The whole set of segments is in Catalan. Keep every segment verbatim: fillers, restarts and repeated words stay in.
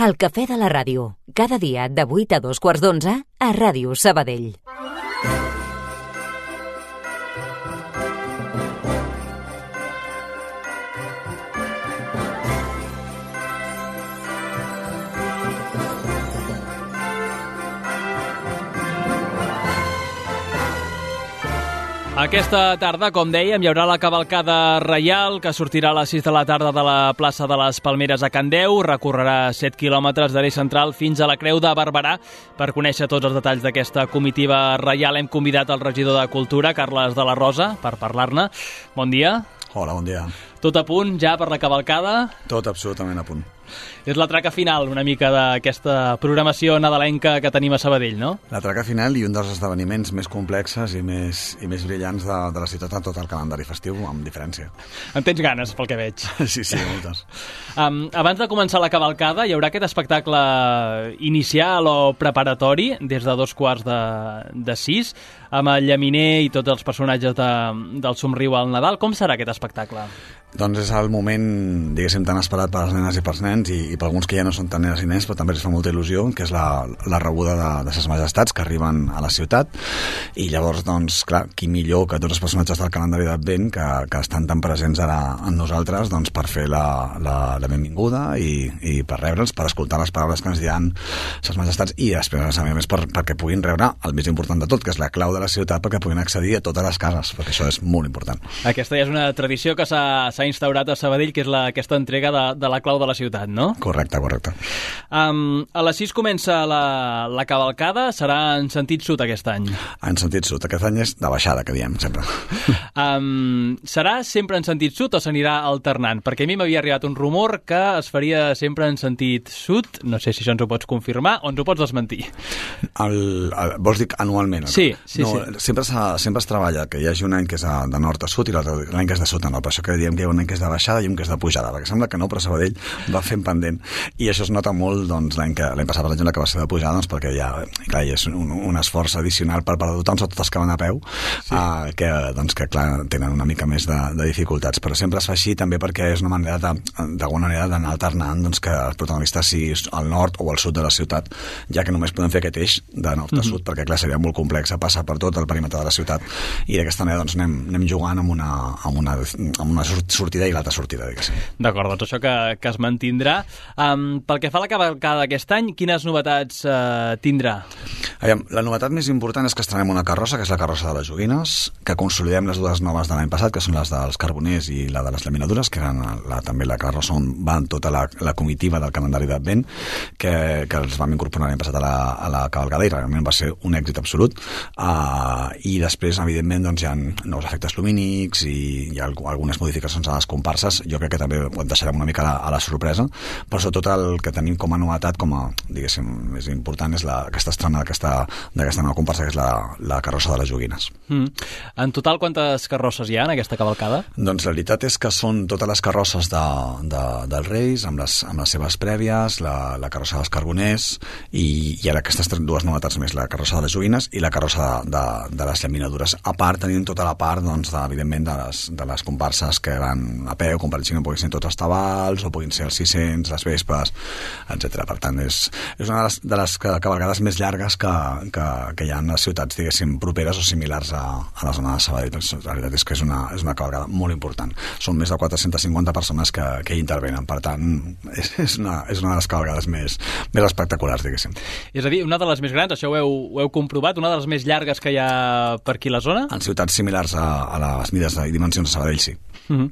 El cafè de la ràdio, cada dia de vuit a dos quarts d'onze a Ràdio Sabadell. Aquesta tarda, com dèiem, hi haurà la cavalcada reial que sortirà a les sis de la tarda de la plaça de les Palmeres a Candeu, recorrerà set quilòmetres de l'eix central fins a la Creu de Barberà. Per conèixer tots els detalls d'aquesta comitiva reial hem convidat el regidor de Cultura, Carles de la Rosa, per parlar-ne. Bon dia. Hola, bon dia. Tot a punt ja per la cavalcada? Tot absolutament a punt. És la traca final una mica d'aquesta programació nadalenca que tenim a Sabadell, no? La traca final i un dels esdeveniments més complexes i més, i més brillants de, de la ciutat en tot el calendari festiu, amb diferència. En tens ganes, pel que veig. Sí, sí, moltes. Um, abans de començar la cavalcada, hi haurà aquest espectacle inicial o preparatori des de dos quarts de, de sis, amb el llaminer i tots els personatges de, del Somriu al Nadal. Com serà aquest espectacle? Doncs és el moment, diguéssim, tan esperat per les nenes i pels nens i, i per alguns que ja no són tan nenes i nens, però també els fa molta il·lusió, que és la, la rebuda de, de ses majestats que arriben a la ciutat. I llavors, doncs, clar, qui millor que tots els personatges del calendari d'Advent que, que estan tan presents ara en nosaltres, doncs, per fer la, la, la benvinguda i, i per rebre'ls, per escoltar les paraules que ens diran ses majestats i després, a més, per, perquè puguin rebre el més important de tot, que és la clau de la ciutat, perquè puguin accedir a totes les cases, perquè això és molt important. Aquesta ja és una tradició que s'ha s'ha instaurat a Sabadell, que és la, aquesta entrega de, de la clau de la ciutat, no? Correcte, correcte. Um, a les sis comença la, la cavalcada, serà en sentit sud aquest any? En sentit sud, aquest any és de baixada, que diem sempre. Um, serà sempre en sentit sud o s'anirà alternant? Perquè a mi m'havia arribat un rumor que es faria sempre en sentit sud, no sé si això ens ho pots confirmar o ens ho pots desmentir. El, el, vols dir anualment? Sí, sí, no, sí. Sempre, sempre es treballa que hi hagi un any que és de nord a sud i l'any que és de sud a nord, per això que diem que hi ha un any que és de baixada i un que és de pujada, perquè sembla que no, però Sabadell va fent pendent i això es nota molt doncs, l'any que l'any passat, per exemple, que va ser de pujada, doncs, perquè ja, clar, hi és un, un esforç addicional per part de tothom, sobretot els que van a peu, sí. uh, que, doncs, que clar, tenen una mica més de, de dificultats, però sempre es fa així també perquè és una manera de, d'alguna manera d'anar alternant doncs, que el protagonista sigui al nord o al sud de la ciutat, ja que només podem fer aquest eix de nord a sud, mm-hmm. perquè clar, seria molt complex passar per tot el perímetre de la ciutat i d'aquesta manera doncs, anem, anem jugant amb una, amb una, amb una sortida i l'altra sortida, diguéssim. D'acord, doncs això que, que es mantindrà. Um, pel que fa a la cavalcada d'aquest any, quines novetats uh, tindrà? Aviam, la novetat més important és que estrenem una carrossa, que és la carrossa de les joguines, que consolidem les dues noves de l'any passat, que són les dels carboners i la de les laminadures, que eren la, també la carrossa on van tota la, la comitiva del calendari d'Advent, que, que els vam incorporar l'any passat a la, a la cavalcada i realment va ser un èxit absolut. Uh, I després, evidentment, doncs, hi ha nous efectes lumínics i hi ha algunes modificacions a les comparses. Jo crec que també ho deixarem una mica a la, a la sorpresa, però sobretot el que tenim com a novetat, com a, diguéssim, més important és la, aquesta estrena d'aquesta, d'aquesta nova comparsa, que és la, la carrossa de les joguines. Mm. En total, quantes carrosses hi ha en aquesta cavalcada? Doncs la veritat és que són totes les carrosses de, de, dels Reis, amb les, amb les seves prèvies, la, la carrossa dels carboners i, i ara aquestes dues novetats més, la carrossa de les joguines i la carrossa de, de, de les llaminadures. A part, tenim tota la part, doncs, de, evidentment, de les, de les comparses que van a peu, com per exemple puguin ser tots els tabals o puguin ser els sis cents, les vespes, etcètera. Per tant, és, és una de les, de les cavalcades més llargues que, que, que hi ha en les ciutats, diguéssim, properes o similars a, a la zona de Sabadell. La veritat és que és una, és una cavalcada molt important. Són més de quatre-centes cinquanta persones que, que hi intervenen. Per tant, és, és, una, és una de les cavalcades més, més espectaculars, diguéssim. És a dir, una de les més grans, això ho heu, ho heu comprovat, una de les més llargues que hi ha per aquí a la zona? En ciutats similars a, a les mides i dimensions de Sabadell, sí. Uh-huh.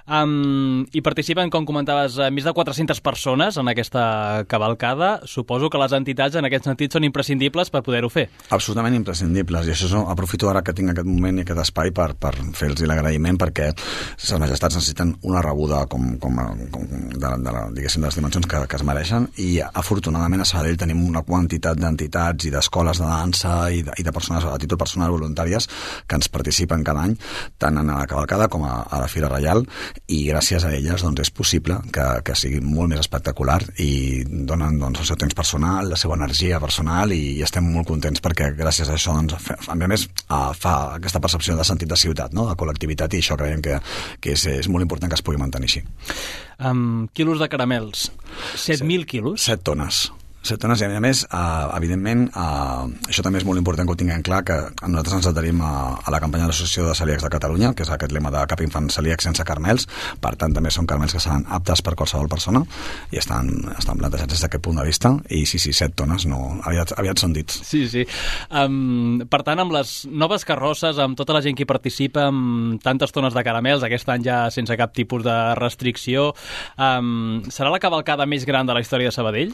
Um, I participen, com comentaves, més de quatre-centes persones en aquesta cavalcada. Suposo que les entitats en aquest sentit són imprescindibles per poder-ho fer. Absolutament imprescindibles, i això aprofito ara que tinc aquest moment i aquest espai per, per fer-los l'agraïment, perquè les majestats necessiten una rebuda com, com, com de, de, la, diguéssim, de les dimensions que, que es mereixen, i afortunadament a Sabadell tenim una quantitat d'entitats i d'escoles de dansa i de, i de persones a títol personal voluntàries que ens participen cada any, tant en la cavalcada com a, a la Fira Reial, i gràcies a elles doncs, és possible que, que sigui molt més espectacular i donen doncs, el seu temps personal, la seva energia personal, i, i estem molt contents perquè gràcies a això, doncs, a més, fa aquesta percepció de sentit de ciutat, no? De col·lectivitat, i això creiem que, que és, és molt important que es pugui mantenir així. Um, quilos de caramels. set mil quilos? set tones. set tones, i a més, uh, evidentment, uh, això també és molt important que ho tinguem clar, que nosaltres ens adherim a, a la campanya de l'Associació de Celíacs de Catalunya, que és aquest lema de cap infant celíac sense caramels. Per tant, també són caramels que seran aptes per qualsevol persona i estan, estan plantejats des d'aquest punt de vista, i sí, sí, set tones, no, aviat, aviat són dits. Sí, sí. Um, per tant, amb les noves carrosses, amb tota la gent que hi participa, amb tantes tones de caramels, aquest any ja sense cap tipus de restricció, um, serà la cavalcada més gran de la història de Sabadell?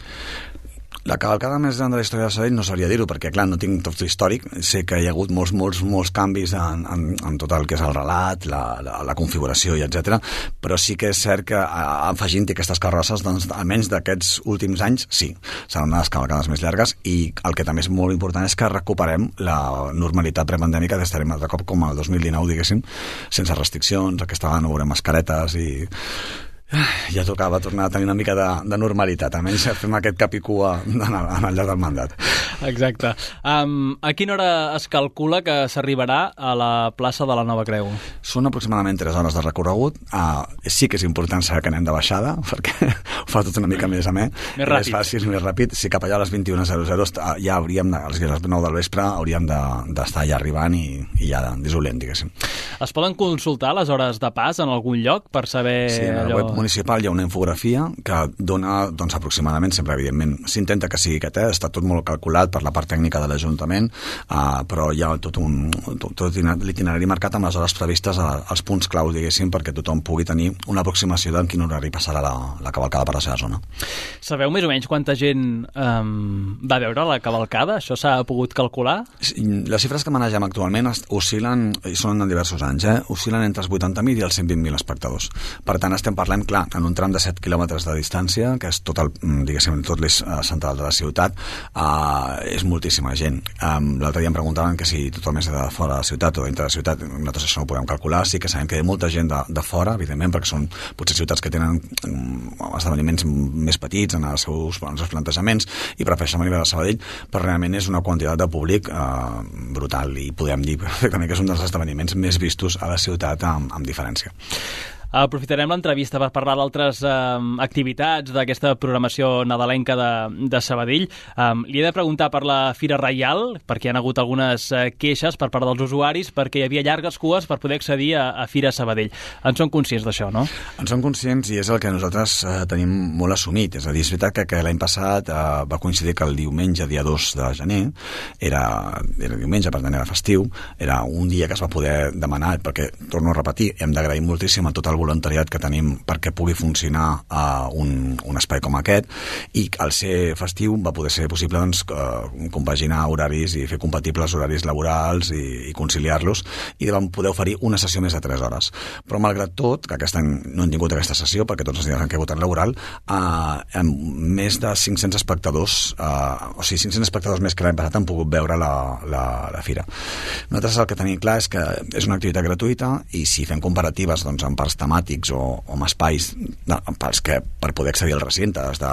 La cavalcada més gran de la història de Sabadell no sabria dir-ho, perquè, clar, no tinc tot l'històric. Sé que hi ha hagut molts, molts, molts canvis en, en, en tot el que és el relat, la, la, la configuració i etcètera, però sí que és cert que afegint-hi aquestes carrosses, doncs, almenys d'aquests últims anys, sí, seran una de les cavalcades més llargues, i el que també és molt important és que recuperem la normalitat prepandèmica, d'estarem altre cop com el dos mil dinou, diguéssim, sense restriccions. Aquesta vegada no veurem mascaretes i... ja tocava tornar a tenir una mica de, de normalitat, almenys fem aquest cap i cua en el, en el llarg del mandat. Exacte. Um, a quina hora es calcula que s'arribarà a la plaça de la Nova Creu? Són aproximadament tres hores de recorregut. Uh, sí que és important saber que anem de baixada, perquè ho fa tot una mica més amè. Més ràpid. És fàcil, més ràpid. Si cap allà a les vint i una zero zero ja hauríem, de, a les nou del vespre, hauríem d'estar de, ja arribant i, i ja dissolent, diguéssim. Es poden consultar les hores de pas en algun lloc per saber... Sí, en el allò... web municipal hi ha una infografia que dona, doncs, aproximadament, sempre, evidentment, s'intenta que sigui aquest, eh? Està tot molt calculat per la part tècnica de l'Ajuntament, uh, però hi ha tot, un, tot, tot l'itinerari marcat amb les hores previstes a, als punts claus, diguéssim, perquè tothom pugui tenir una aproximació d'en quin horari passarà la, la cavalcada per la seva zona. Sabeu més o menys quanta gent um, va veure la cavalcada? Això s'ha pogut calcular? Les xifres que manegem actualment oscil·len, i són en diversos anys, eh? oscil·len entre els vuitanta mil i els cent vint mil espectadors. Per tant, estem parlant, clar, en un tram de set quilòmetres de distància, que és tot el, diguéssim, tot l'eix central de la ciutat, uh, és moltíssima gent. Um, L'altre dia em preguntaven que si tothom és de fora de la ciutat o dintre de la ciutat. Nosaltres això no ho podem calcular. Sí que sabem que hi ha molta gent de, de fora, evidentment, perquè són potser ciutats que tenen um, esdeveniments més petits en els seus, en els seus plantejaments i prefereixen venir a Sabadell, però realment és una quantitat de públic uh, brutal, i podem dir perfectament que és un dels esdeveniments més vistos a la ciutat amb, amb diferència. Aprofitarem l'entrevista per parlar d'altres eh, activitats d'aquesta programació nadalenca de, de Sabadell. Um, li he de preguntar per la Fira Reial, perquè hi ha hagut algunes eh, queixes per part dels usuaris, perquè hi havia llargues cues per poder accedir a, a Fira Sabadell. En són conscients d'això, no? En som conscients, i és el que nosaltres eh, tenim molt assumit. És a dir, és veritat que, que l'any passat eh, va coincidir que el diumenge, dia dos de gener, era, era diumenge, per tant era festiu, era un dia que es va poder demanar, perquè, torno a repetir, hem d'agrair moltíssim a tot el voluntariat que tenim perquè pugui funcionar uh, un, un espai com aquest, i al ser festiu va poder ser possible, doncs, uh, compaginar horaris i fer compatibles horaris laborals i, i conciliar-los, i vam poder oferir una sessió més de tres hores. Però malgrat tot, que aquest any no hem tingut aquesta sessió perquè tots els dies han caigut en laboral, uh, amb més de cinc-cents espectadors, uh, o sigui, cinc-cents espectadors més que l'any passat han pogut veure la, la, la fira. Nosaltres el que tenim clar és que és una activitat gratuïta, i si fem comparatives, doncs, en parts temàtics o, o amb espais de, pels que per poder accedir al recinte has de,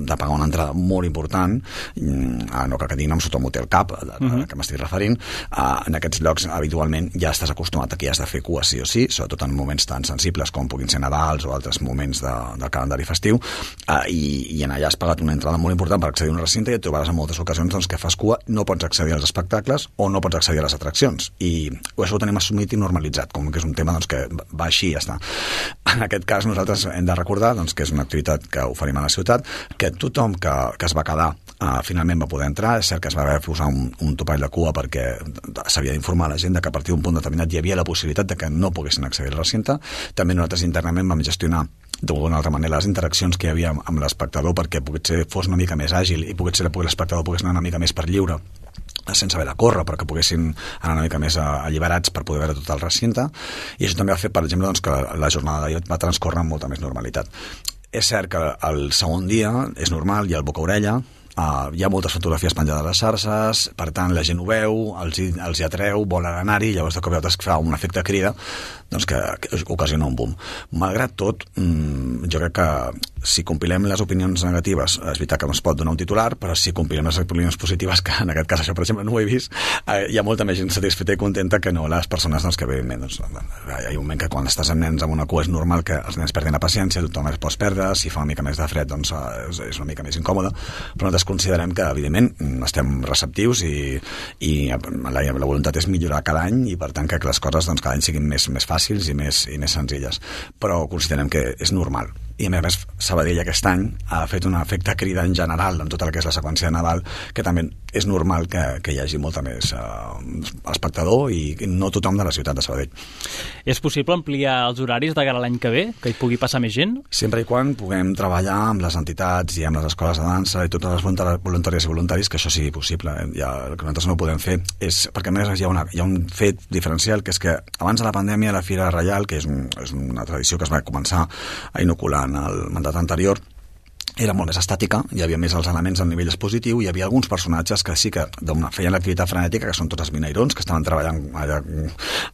de pagar una entrada molt important, uh, no cal que diguin amb sota Motel Cap, de, de, uh-huh. que m'estic referint, uh, en aquests llocs habitualment ja estàs acostumat a que ja has de fer cua sí o sí, sobretot en moments tan sensibles com puguin ser Nadals o altres moments de, del calendari festiu, uh, i, i en allà has pagat una entrada molt important per accedir a un recinte, i et trobaràs en moltes ocasions, doncs, que fas cua, no pots accedir als espectacles o no pots accedir a les atraccions, i això ho tenim assumit i normalitzat, com que és un tema, doncs, que va així i ja està. En aquest cas nosaltres hem de recordar, doncs, que és una activitat que oferim a la ciutat, que tothom que, que es va quedar uh, finalment va poder entrar. És cert que es va haver de posar un, un topall de cua perquè s'havia d'informar a la gent que a partir d'un punt determinat hi havia la possibilitat de que no poguessin accedir al recinte. També nosaltres internament vam gestionar d'alguna altra manera les interaccions que hi havia amb, amb l'espectador perquè potser fos una mica més àgil i potser l'espectador pogués anar una mica més per lliure, sense haver de córrer, però que poguessin anar una mica més alliberats per poder veure tot el recinte. I això també ha fet, per exemple, doncs, que la jornada d'ahir va transcórrer amb molta més normalitat. És cert que el segon dia és normal, hi ha el boca-orella, uh, hi ha moltes fotografies penjades a les xarxes, per tant la gent ho veu, els hi, els hi atreu, volen anar-hi, llavors de cop i volta es fa un efecte crida doncs que, que ocasiona un boom. Malgrat tot, mmm, jo crec que si compilem les opinions negatives, és veritat que no es pot donar un titular, però si compilem les opinions positives, que en aquest cas això per exemple no ho he vist, eh, hi ha molta més gent satisfeta i contenta que no les persones doncs, que evidentment doncs, hi ha un moment que quan estàs amb nens amb una cua és normal que els nens perdin la paciència, tothom es pot perdre, si fa una mica més de fred doncs és, és una mica més incòmode, però nosaltres considerem que evidentment estem receptius i, i la, la voluntat és millorar cada any i per tant que les coses doncs, cada any siguin més, més fàcils i més, i més senzilles, però considerem que és normal. I a més, Sabadell aquest any ha fet un efecte crida en general en tota la que és la seqüència de Nadal, que també és normal que, que hi hagi molta més eh, espectador i no tothom de la ciutat de Sabadell. És possible ampliar els horaris de cara a l'any que ve? Que hi pugui passar més gent? Sempre i quan puguem treballar amb les entitats i amb les escoles de dansa i totes les voluntàries i voluntaris, que això sigui possible. Ja, el que nosaltres no podem fer és... Perquè a més hi ha, una, hi ha un fet diferencial, que és que abans de la pandèmia la Fira Reial, que és, un, és una tradició que es va començar a inocular en el mandat anterior, era molt més estàtica, hi havia més els elements al nivell expositiu, hi havia alguns personatges que sí que feien l'activitat frenètica, que són tots els minairons, que estaven treballant allà,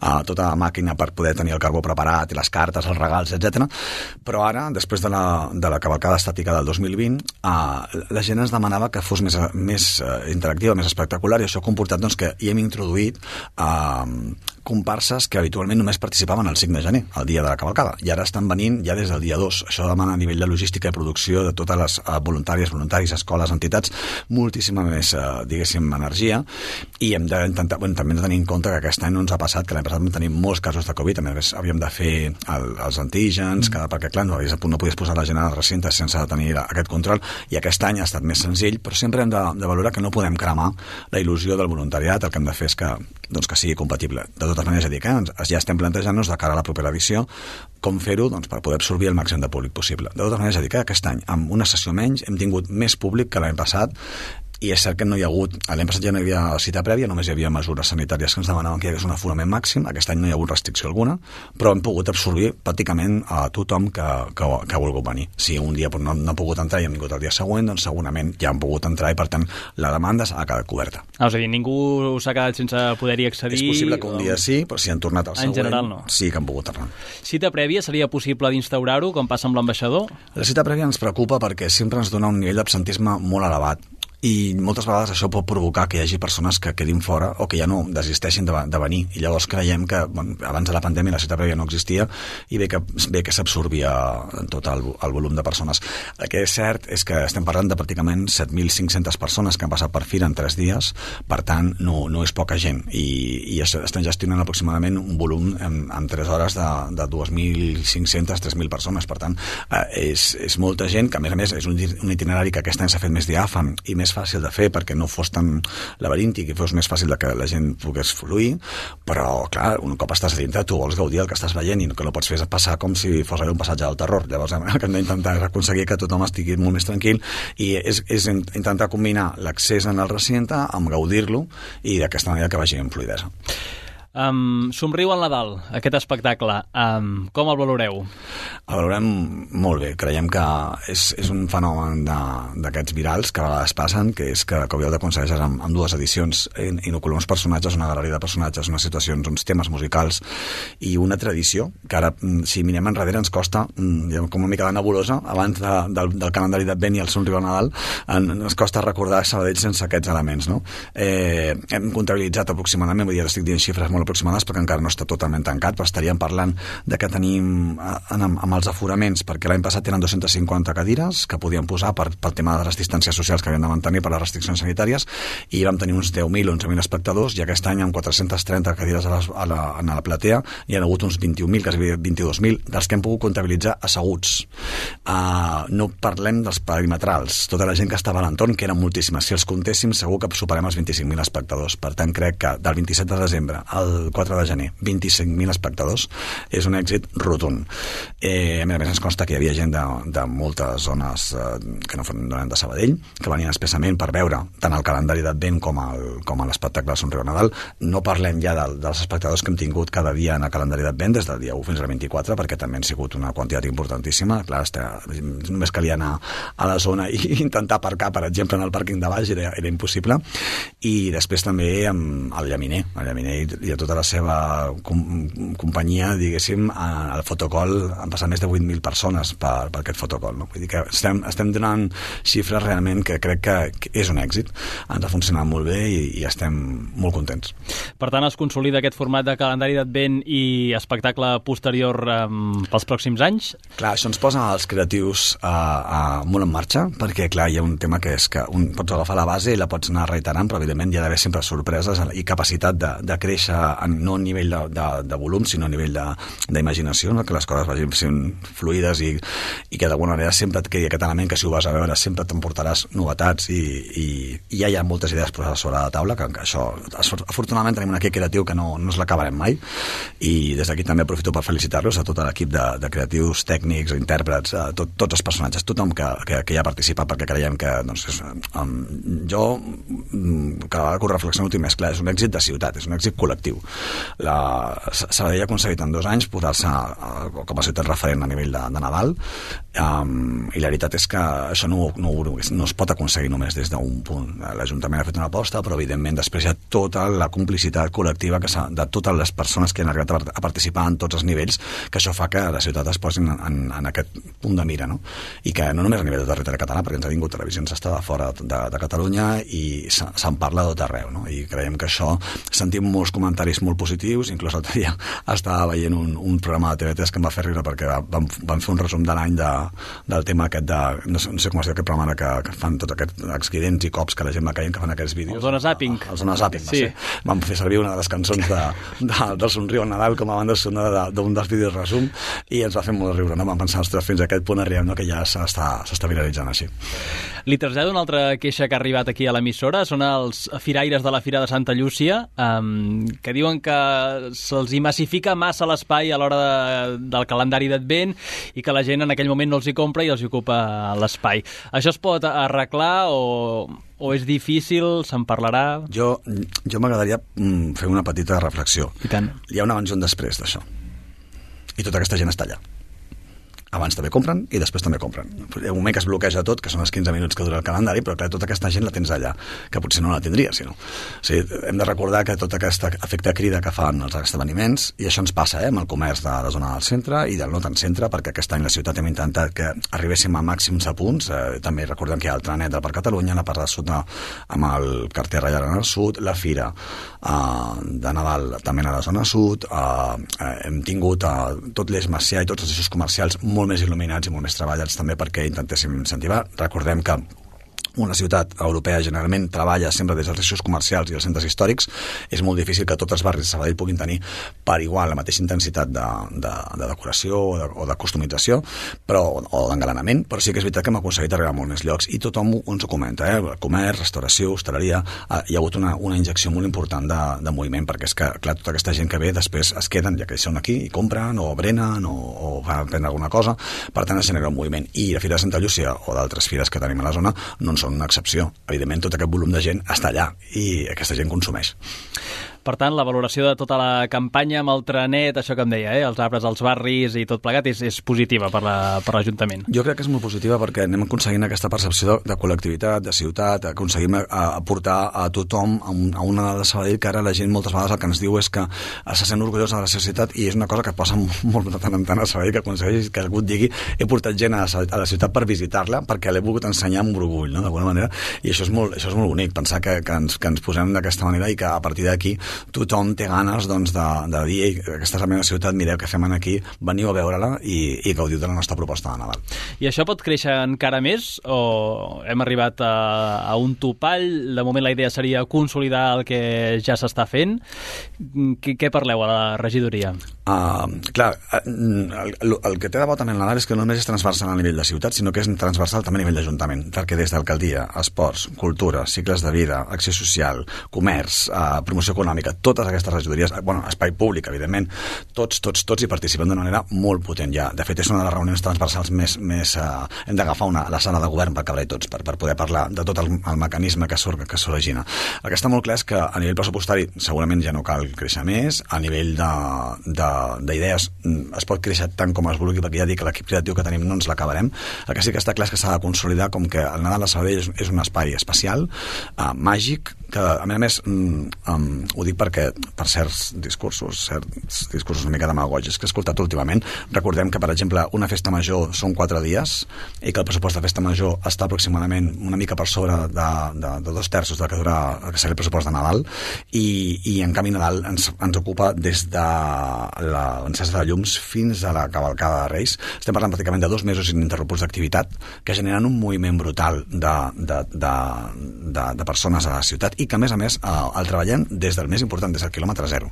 a tota la màquina per poder tenir el carbó preparat, i les cartes, els regals, etcètera. Però ara, després de la, de la cavalcada estàtica del dos mil vint, eh, la gent ens demanava que fos més, més interactiva, més espectacular, i això ha comportat doncs, que hi hem introduït eh, comparses que habitualment només participaven el cinc de gener, el dia de la cavalcada, i ara estan venint ja des del dia dos. Això demana a nivell de logística i producció de totes les uh, voluntàries, voluntaris, escoles, entitats, moltíssima més, uh, diguéssim, energia, i hem d'intentar, bueno, també hem de tenir en compte que aquest any no ens ha passat, que l'any passat vam tenir molts casos de Covid, a més havíem de fer el, els antígens, que, perquè clar, no, no podies posar la gent al recinte sense tenir aquest control, i aquest any ha estat més senzill, però sempre hem de, de valorar que no podem cremar la il·lusió del voluntariat, el que hem de fer és que, doncs, que sigui compatible. De totes maneres, ja dic, eh, ja estem plantejant-nos de cara a la propera edició com fer-ho doncs, per poder absorbir el màxim de públic possible. De totes maneres, ja dic, eh, aquest any, amb una sessió menys, hem tingut més públic que l'any passat, i és cert que no hi ha hagut, l'any passat ja no hi havia cita prèvia, només hi havia mesures sanitàries que ens demanaven que hi hagués un aforament màxim, aquest any no hi ha hagut restricció alguna, però hem pogut absorbir pràcticament a tothom que, que, que ha volgut venir. Si un dia no, no ha pogut entrar i hem vingut el dia següent, doncs segurament ja han pogut entrar i per tant la demanda ha quedat coberta. Ah, és a dir, ningú s'ha quedat sense poder-hi accedir? És possible que un dia sí, però si han tornat al següent, en general no. Sí que han pogut tornar. Cita prèvia seria possible d'instaurar-ho, com passa amb l'ambaixador? La cita prèvia ens preocupa perquè sempre ens dona un nivell d'absentisme molt elevat, i moltes vegades això pot provocar que hi hagi persones que quedin fora o que ja no desisteixin de, de venir, i llavors creiem que bueno, abans de la pandèmia la cita prèvia no existia i bé que, bé que s'absorbia tot el, el volum de persones. El que és cert és que estem parlant de pràcticament set mil cinc-centes persones que han passat per Fira en tres dies, per tant no, no és poca gent, i, i estem gestionant aproximadament un volum en, en tres hores de, de dos mil cinc-centes a tres mil persones, per tant eh, és, és molta gent, que a més a més és un, un itinerari que aquest any s'ha fet més diàfan i més fàcil de fer perquè no fos tan laberíntic i fos més fàcil de que la gent pogués fluir, però clar, un cop estàs a dintre tu vols gaudir del que estàs veient i que no pots fer passar com si fos un passatge del terror. Llavors el que hem d'intentar és aconseguir que tothom estigui molt més tranquil i és, és intentar combinar l'accés en el recinte amb gaudir-lo i d'aquesta manera que vagi amb fluïdesa. Um, somriu al Nadal, aquest espectacle, um, com el valoreu? El valorem molt bé, creiem que és, és un fenomen d'aquests virals que a vegades passen, que és que Coviol aconsegueixes amb, amb dues edicions inocular uns personatges, una galeria de personatges, unes situacions, uns temes musicals i una tradició, que ara si mirem enrere ens costa, com una mica de nebulosa, abans de, del, del calendari d'Advent i el somriu al Nadal, en, ens costa recordar Sabadell sense aquests elements, no? Eh, hem comptabilitzat aproximadament, vull dir, estic dient xifres molt aproximades perquè encara no està totalment tancat, però estaríem parlant de que tenim en, amb els aforaments, perquè l'any passat eren dues-centes cinquanta cadires que podíem posar per, pel tema de les distàncies socials que havíem de mantenir per les restriccions sanitàries, i vam tenir uns deu mil o onze mil espectadors, i aquest any amb quatre-centes trenta cadires a, les, a, la, a la platea hi ha hagut uns vint-i-un mil, quasi vint-i-dos mil, dels que hem pogut comptabilitzar asseguts. Uh, no parlem dels perimetrals, tota la gent que estava a l'entorn, que eren moltíssimes. Si els comptéssim segur que superem els vint-i-cinc mil espectadors. Per tant, crec que del vint-i-set de desembre al el quatre de gener, vint-i-cinc mil espectadors, és un èxit rotund. Eh, a més a més ens consta que hi havia gent de, de moltes zones eh, que no eren de Sabadell, que venien expressament per veure tant el calendari d'Advent com, el, com l'espectacle de Somriu Nadal. No parlem ja de, dels espectadors que hem tingut cada dia en el calendari d'Advent, des del dia u fins al vint-i-quatre, perquè també han sigut una quantitat importantíssima. Clar, només calia anar a la zona i intentar aparcar, per exemple, en el pàrquing de baix, era, era impossible. I després també amb el Llaminer, el Llaminer i a tota la seva com, companyia, diguéssim, al fotocol han passat més de vuit mil persones per, per aquest fotocol, no? Vull dir que estem, estem donant xifres realment que crec que, que és un èxit, ens ha funcionat molt bé i, i estem molt contents. Per tant, es consolida aquest format de calendari d'Advent i espectacle posterior um, pels pròxims anys? Clar, això ens posa els creatius uh, uh, molt en marxa, perquè clar, hi ha un tema que és que un, pots agafar la base i la pots anar reiterant, però evidentment hi ha d'haver sempre sorpreses i capacitat de, de créixer en, no a nivell de, de, de volum, sinó a nivell d'imaginació, no? Que les coses vagin sent fluides i, i que d'alguna manera sempre et quedi aquest element que si ho vas a veure sempre t'emportaràs novetats i, i, i ja hi ha moltes idees posades sobre la taula, que, que això, afortunadament tenim un equip creatiu que no, no es l'acabarem mai, i des d'aquí també aprofito per felicitar-los a tot l'equip de, de creatius, tècnics, intèrprets, a tot, tots els personatges, tothom que, que, que hi ha participat, perquè creiem que doncs, és, um, jo cada vegada que ho reflexiono més clar, és un èxit de ciutat, és un èxit col·lectiu. Sabadell ha aconseguit en dos anys posar-se com a ciutat referent a nivell de, de Nadal, um, i la veritat és que això no, no, no es pot aconseguir només des d'un punt. L'Ajuntament ha fet una aposta, però evidentment després hi ha tota la complicitat col·lectiva que de totes les persones que han arribat a participar en tots els nivells, que això fa que la ciutat es posi en, en, en aquest punt de mira, no? I que no només a nivell de territori català, perquè ens ha vingut televisions està de fora de, de Catalunya i se'n parla de tot arreu, no? I creiem que això, sentim molts comentaris molt positius, inclús l'altre dia estava veient un, un programa de T V tres que em va fer riure perquè van, van fer un resum de l'any de, del tema aquest de, no sé, no sé com es diu aquest programa que, que fan tots aquests accidents i cops que la gent va caient, que fan aquests vídeos. El Zona Zapping. El Zona Zapping, sí. sí. Van fer servir una de les cançons de, de, del Somriu Nadal com a banda sonora d'un dels vídeos resum i ens va fer molt riure, no? Vam pensar, ostres, fins a aquest punt arribem, no? Que ja s'està viralitzant així. Li trasllado una altra queixa que ha arribat aquí a l'emissora, són els firaires de la Fira de Santa Llúcia, um, que diuen que se'ls hi massifica massa l'espai a l'hora de, del calendari d'Advent i que la gent en aquell moment no els hi compra i els hi ocupa l'espai. Això es pot arreglar o, o és difícil? Se'n parlarà? Jo, jo m'agradaria fer una petita reflexió. I tant. Hi ha un abans i un després d'això. I tota aquesta gent està allà. Abans també compren i després també compren. Hi ha un moment que es bloqueja tot, que són els quinze minuts que dura el calendari, però clar, tota aquesta gent la tens allà, que potser no la tindria, si no. O sigui, hem de recordar que tot aquest efecte crida que fan els esdeveniments, i això ens passa eh, amb el comerç de la zona del centre i del no tant centre, perquè aquest any la ciutat hem intentat que arribéssim a màxims a punts. Eh, també recordem que hi ha el Trenet del Parc Catalunya, la part del sud de, amb el carter Reial en el sud, la Fira eh, de Nadal també a la zona sud, eh, eh, hem tingut eh, tot l'Eix Macià i tots els eixos comercials molt més il·luminats i molt més treballats també perquè intentéssim incentivar. Recordem que una ciutat europea generalment treballa sempre des dels eixos comercials i els centres històrics. És molt difícil que tots els barris de Sabadell puguin tenir per igual la mateixa intensitat de, de, de decoració o de, o de customització, però, o d'engalanament, però sí que és veritat que hem aconseguit arribar a molts més llocs i tothom ens ho comenta, eh? Comerç, restauració, hostaleria, eh, hi ha hagut una, una injecció molt important de, de moviment, perquè és que, clar, tota aquesta gent que ve després es queden, ja que són aquí, i compren, o brenen, o, o van prendre alguna cosa, per tant es genera un moviment. I la Fira de Santa Llúcia o d'altres fires que tenim a la zona no en són una excepció. Evidentment, tot aquest volum de gent està allà i aquesta gent consumeix. Per tant, la valoració de tota la campanya amb el trenet, això que em deia, eh? Els arbres als barris i tot plegat, és, és positiva per l'Ajuntament. Jo crec que és molt positiva perquè anem aconseguint aquesta percepció de, de col·lectivitat, de ciutat, aconseguim aportar a tothom a, un, a una de Sabadell que ara la gent moltes vegades el que ens diu és que se sent orgullosa de la seva ciutat i és una cosa que passa molt de tant en tant a Sabadell, que aconsegueix que algú et digui he portat gent a, a la ciutat per visitar-la perquè l'he volgut ensenyar amb orgull, no? D'alguna manera, i això és molt, això és molt bonic, pensar que, que, ens, que ens posem d'aquesta manera i que a partir d'aquí tothom té ganes doncs, de, de dir Ei, aquesta és la meva ciutat, mireu què fem aquí, veniu a veure-la i, i gaudiu de la nostra proposta de Nadal. I això pot créixer encara més o hem arribat a, a un topall? De moment la idea seria consolidar el que ja s'està fent. Què, què parleu a la regidoria? Uh, clar, el, el, el que té de bo també el Nadal és que no només és transversal a nivell de ciutat, sinó que és transversal també a nivell d'Ajuntament, perquè des del que al dia, esports, cultura, cicles de vida, acció social, comerç, eh, promoció econòmica, totes aquestes regidories, eh, bueno, espai públic, evidentment, tots, tots, tots hi participen d'una manera molt potent ja. De fet, és una de les reunions transversals més... més eh, hem d'agafar una la sala de govern per cabre tots, per, per poder parlar de tot el, el mecanisme que surt, que s'origina. El que està molt clar és que a nivell pressupostari segurament ja no cal créixer més, a nivell d'idees es pot créixer tant com es vulgui, perquè ja dic que l'equip creatiu que tenim no ens l'acabarem. El que sí que està clar és que s'ha de consolidar com que el Nadal a Sabadell és, és un espai especial, uh, màgic, que a més a més um, um, ho dic perquè per certs discursos, certs discursos una mica demagògics que he escoltat últimament, recordem que per exemple una festa major són quatre dies i que el pressupost de festa major està aproximadament una mica per sobre de, de, de dos terços del que dura el que seria el pressupost de Nadal i, i en canvi Nadal ens, ens ocupa des de l'encesa de llums fins a la cavalcada de Reis. Estem parlant pràcticament de dos mesos ininterromputs d'activitat que generen un moviment brutal de, de, de, de, de persones a la ciutat i que a més a més el treballem des del més important, des del quilòmetre zero.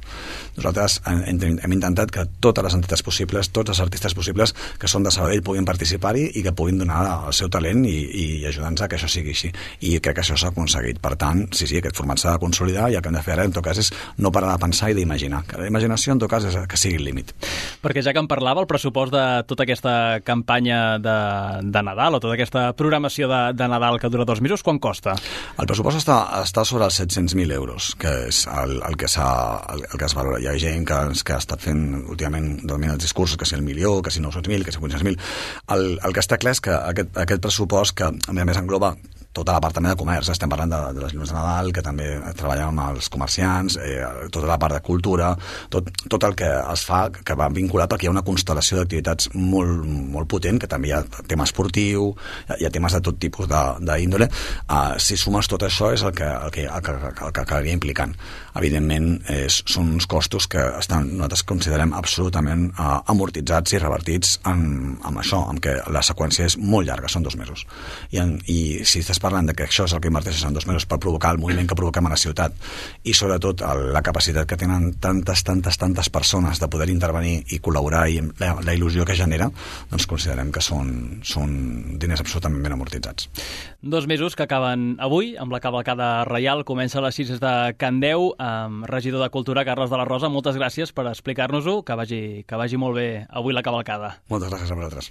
Nosaltres hem, hem intentat que totes les entitats possibles, tots els artistes possibles que són de Sabadell puguin participar-hi i que puguin donar el seu talent i, i ajudar-nos a que això sigui així. I crec que això s'ha aconseguit. Per tant, sí, sí, aquest format s'ha de consolidar i el que hem de fer ara, en tot cas, és no parar de pensar i d'imaginar. Que la imaginació, en tot cas, és que sigui el límit. Perquè ja que en parlava, el pressupost de tota aquesta campanya de, de Nadal o tota aquesta programació de, de Nadal que dura dos mesos, quan costa? El pressupost està, està sobre els set-cents mil euros, que és el, el, que el, el que es valora. Hi ha gent que, que ha estat fent últimament els discursos, que si el milió, que si nou-cents mil, que si vuit-cents mil. El, el que està clar és que aquest, aquest pressupost, que a més a més engloba tota la part també de comerç, estem parlant de, de les llums de Nadal, que també treballem amb els comerciants, eh, tota la part de cultura, tot, tot el que es fa, que va vinculat perquè hi ha una constel·lació d'activitats molt, molt potent, que també hi ha tema esportiu, hi ha temes de tot tipus d'índole. Uh, si sumes tot això és el que, el que, el que, el que acabaria implicant. Evidentment, és, són uns costos que estan, nosaltres considerem absolutament uh, amortitzats i revertits en, en això, en què la seqüència és molt llarga, són dos mesos. I, en, i si estàs parlant de que això és el que inverteixes en dos mesos per provocar el moviment que provoquem a la ciutat i sobretot el, la capacitat que tenen tantes, tantes, tantes persones de poder intervenir i col·laborar i la, la il·lusió que genera, doncs considerem que són, són diners absolutament ben amortitzats. Dos mesos que acaben avui amb la cavalcada reial, comença a les sis de Candeu, amb regidor de Cultura Carles de la Rosa. Moltes gràcies per explicar-nos-ho, que vagi, que vagi molt bé avui la cavalcada. Moltes gràcies a vosaltres.